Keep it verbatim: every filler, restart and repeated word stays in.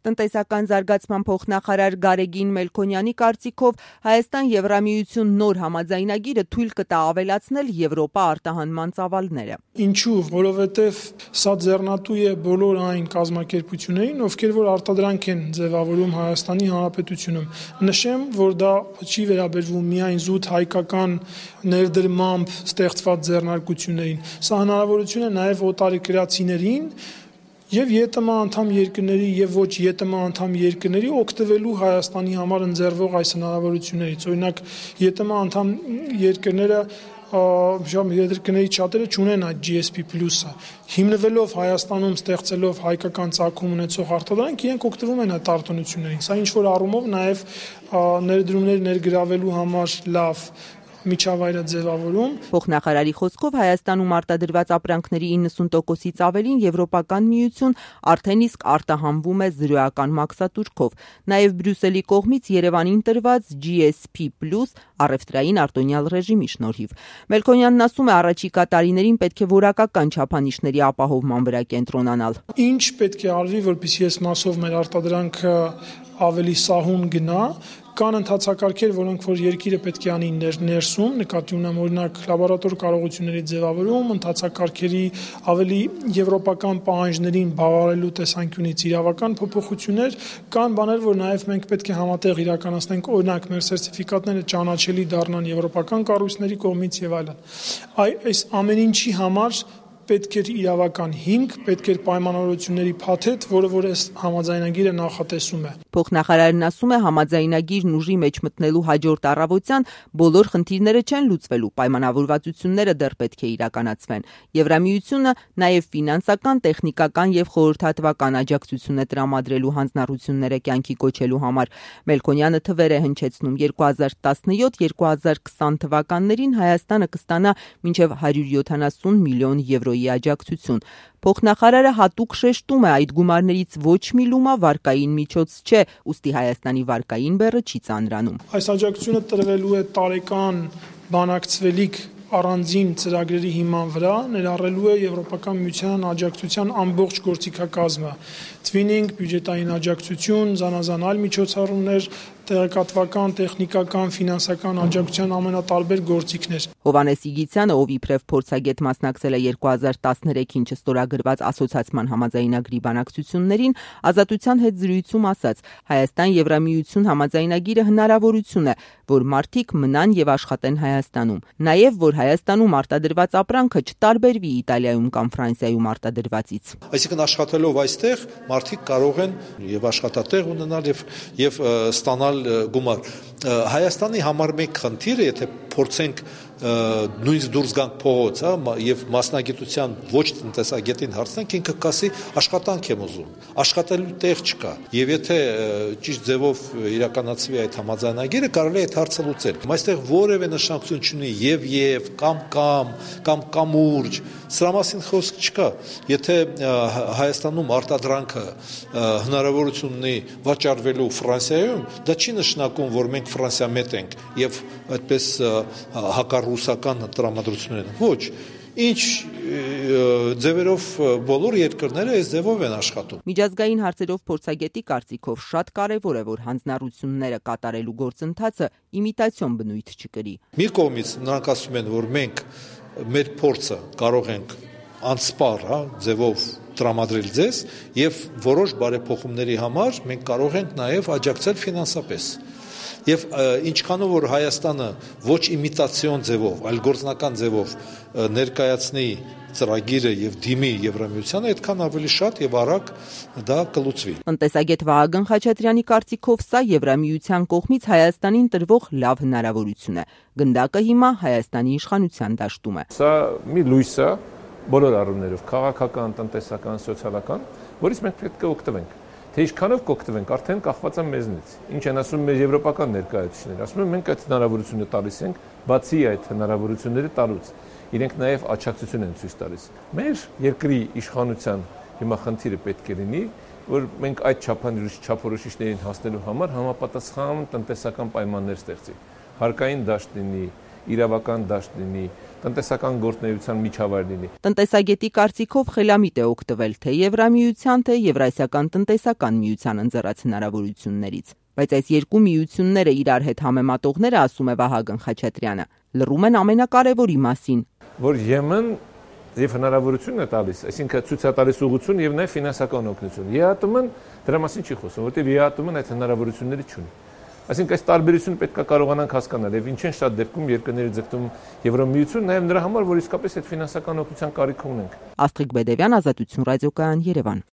Տնտեսական զարգացման փոխնախարար Գարեգին Մելքոնյանի կարծիքով Հայաստան Եվրամիություն նոր համաձայնագիրը թույլ կտա ավելացնել Եվրոպա արտահանման ծավալները։ Ինչու, որովհետև սա ձեռնատու է բոլոր այն կազմակերպություններին, ովքեր որ արտադրանք են ձևավորում Հայաստանի Հանրապետությունում։ Նշեմ, որ դա չի վերաբերվում միայն զուտ հայկական ներդրմամբ ստեղծված ձեռնարկություններին։ Սա հնարավորություն է նաև օտարերկրացիներին եւ ԵՏՄ անդամ երկրների եւ ոչ ԵՏՄ անդամ երկրների օգտվելու Հայաստանի համար ընձեռվող այս հնարավորություններից։ Օրինակ ԵՏՄ անդամ երկրները երկրների շատերը չունեն այդ G S P plus-ը։ Հիմնվելով Հայաստանում ստեղծելով հայկական ծագում ունեցող արտադրանք, իրենք օգտվում են այդ արտոնություններին։ Սա ինչ որ առումով նաեւ ներդրումներ ներգրավելու համար լավ միջավայր է ձևավորում։ Փոխնախարարի խոսքով Հայաստանում արտադրված ապրանքների իննսուն տոկոսից ավելին Եվրոպական միություն արդեն իսկ արտահանվում է զրոյական մաքսատուրքով։ Նաև Բրյուսելի կողմից Երևանին տրված G S P plus առևտրային արտոնյալ ռեժիմի շնորհիվ։ Մելքոնյանն ասում է, առաջիկա տարիներին պետք է որակական չափանիշների ապահովման վրա կենտրոնանալ։ Ինչ պետք է արվի, որպեսզի այս մասով մեր արտադրանքը ավելի սահուն գնա։ Կան ընթացակարգեր, որոնք որ երկիրը պետք է անի ներսում, նկատի ունեմ օրինակ լաբորատոր կարողությունների ձևավորում, ընթացակարգերի ավելի եվրոպական պահանջներին բավարարելու տեսանկյունից իրավական փոփոխություններ, կան բաներ, որ նաև մենք պետք է համատեղ իրականացնենք, օրինակ մեր սերտիֆիկատները ճանաչելի դառնան եվրոպական կառույցների կողմից եւ այլն։ Այս ամեն ինչի համար պետք է իրավական հիմք, պետք է պայմանավորությունների փաթեթ, որը որ այս համաձայնագիրը նախատեսում է։ Փոխնախարարն ասում է, համաձայնագիրն ուժի մեջ մտնելու հաջորդ առավոտյան բոլոր խնդիրները չեն լուծվելու, պայմանավորվածությունները դեռ պետք է իրականացվեն։ Եվրամիությունը նաև ֆինանսական, տեխնիկական եւ խորհրդատվական աջակցություն է տրամադրելու հանձնառությունները կյանքի կոչելու համար։ Մելքոնյանը թվեր է հնչեցնում երկու հազար տասնյոթ երկու հազար քսան թվականներին Հայաստանը կստանա մինչև հարյուր յոթանասուն միլիոն եվրոյի աջակցություն։ Փոխնախարարը հատուկ շեշտում է, այդ գումարներից ոչ մի լումա վարկային միջոց չէ, ուստի Հայաստանի վարկային բեռը չի ծանրանում։ Այս աջակցությունը տրվելու է տարեկան բանակցվելիք առանձին ծրագրերի հիման վրա, ներառելու է Եվրոպական միության աջակցության ամբողջ գործիքակազմը, twinning, բյուջետային աջակցություն, զանազան այլ միջոցառումներ, տեղեկատվական, տեխնիկական, ֆինանսական աջակցության ամենատարբեր գործիքներ։ Հովհաննես Իգիցյանը, ով իբրև փորձագետ մասնակցել է երկու հազար տասներեքին չստորագրված ասոցիացման համաձայնագրի բանակցություններին, Ազատության հետ զրույցում ասաց. Հայաստան Եվրամիություն համաձայնագիրը հնարավորություն է, որ մարդիկ մնան եւ աշխատեն Հայաստանում, նաեւ որ Հայաստանում արտադրված ապրանքը չտարբերվի Իտալիայում կամ Ֆրանսիայում արտադրվածից։ Այսինքն աշխատելով այստեղ մարդիկ կարող են եւ աշխատատեղ ունենալ եւ եւ ստանալ գումար։ Հայաստանի համար մեկ խնդիրը, եթե փորձենք նույնիսկ դուրս գանք փողոց, հա, եւ մասնագիտության ոչ տնտեսագետին հարցնենք, ինքը կասի աշխատանք եմ ուզում, աշխատելու տեղ չկա։ Եվ եթե ճիշտ ձևով իրականացվի այդ համաձայնագիրը, կարելի է այդ հարցը լուծել։ Այստեղ որևէ նշանակություն չունի եւ եւ կամ կամ կամ կամուրջ, սրա մասին խոսք չկա։ Եթե Հայաստանում արտադրանքը հնարավորություն ունի վաճառվելու Ֆրանսիայում, դա չի նշանակում, որ մենք Ֆրանսիա մետ ենք եւ այդպես հակառուսական տրամադրություններ են։ Ոչ, ինչ ձևերով բոլոր երկրները այս ձևով են աշխատում։ Միջազգային հարցերով փորձագետի կարծիքով շատ կարևոր է, որ հանձնառությունները կատարելու գործընթացը իմիտացիոն բնույթ չկրի։ Մի կողմից նրանք ասում են, որ մենք մեր փորձը կարող ենք անսպառ, հա, ձևով տրամադրել ձեզ եւ որոշ բարեփոխումների համար մենք կարող ենք նաեւ աջակցել ֆինանսապես։ Եվ ինչքանով որ Հայաստանը ոչ իմիտացիոն ձևով, այլ գործնական ձևով ներկայացնի ծրագիրը եւ դիմի Եվրամիությանը, այդքան ավելի շատ եւ արագ դա կլուծվի։ Տնտեսագետ Վահագն Խաչատրյանի կարծիքով սա Եվրամիության կողմից Հայաստանին տրվող լավ հնարավորություն է։ Գնդակը հիմա Հայաստանի իշխանության դաշտում է։ Սա մի լույս է բոլոր առումներով, քաղաքական, տնտեսական, սոցիալական, որից մենք պետք է օգտվենք։ Թե ինչքանով կօգտվենք, արդեն կախված է մեզնից։ Ինչ են ասում մեր եվրոպական ներկայացուցիչները, ասում են մենք այդ հնարավորությունը տալիս ենք, բացի այդ հնարավորությունները տալուց, իրենք նաև աջակցություն են ցույց տալիս։ Մեր երկրի իշխանության հիմա խնդիրը պետք է լինի, որ մենք այդ չափորոշիչներին հասնելու համար համապատասխան տնտեսական պայմաններ ստեղծենք։ Հարկային դաշտ լինի, իրավական դաշտ լինի, տնտեսական գործունեության միջավայր լինի։ Տնտեսագետի կարծիքով խելամիտ է օգտվել թե Եվրամիության, թե Եվրասիական տնտեսական միության ընձեռած հնարավորություններից։ Բայց այս երկու միությունները իրար հետ համեմատողները, ասում է Վահագն Խաչատրյանը, լռում են ամենակարևորի մասին, որ Եմեն եւ հնարավորություն է տալիս, այսինքն ցույց է տալիս ուղղություն եւ նաեւ ֆինանսական օգնություն։ ԵԱՏՄ-ն դրա մասին չի խոսում, որտեղ ԵԱՏՄ-ն այդ հնարավորությունները չունի։ Այսինքն այս տարբերությունը պետք է կարողանանք հասկանալ եւ ինչ են շատ դեպքում երկրների ձգտում Եվրամիություն նաեւ նրա համար, որ իսկապես այդ ֆինանսական օգնության կարիք ունենք։ Աստղիկ Բեդևյան, Ազատություն ռադիոկայան, Երևան։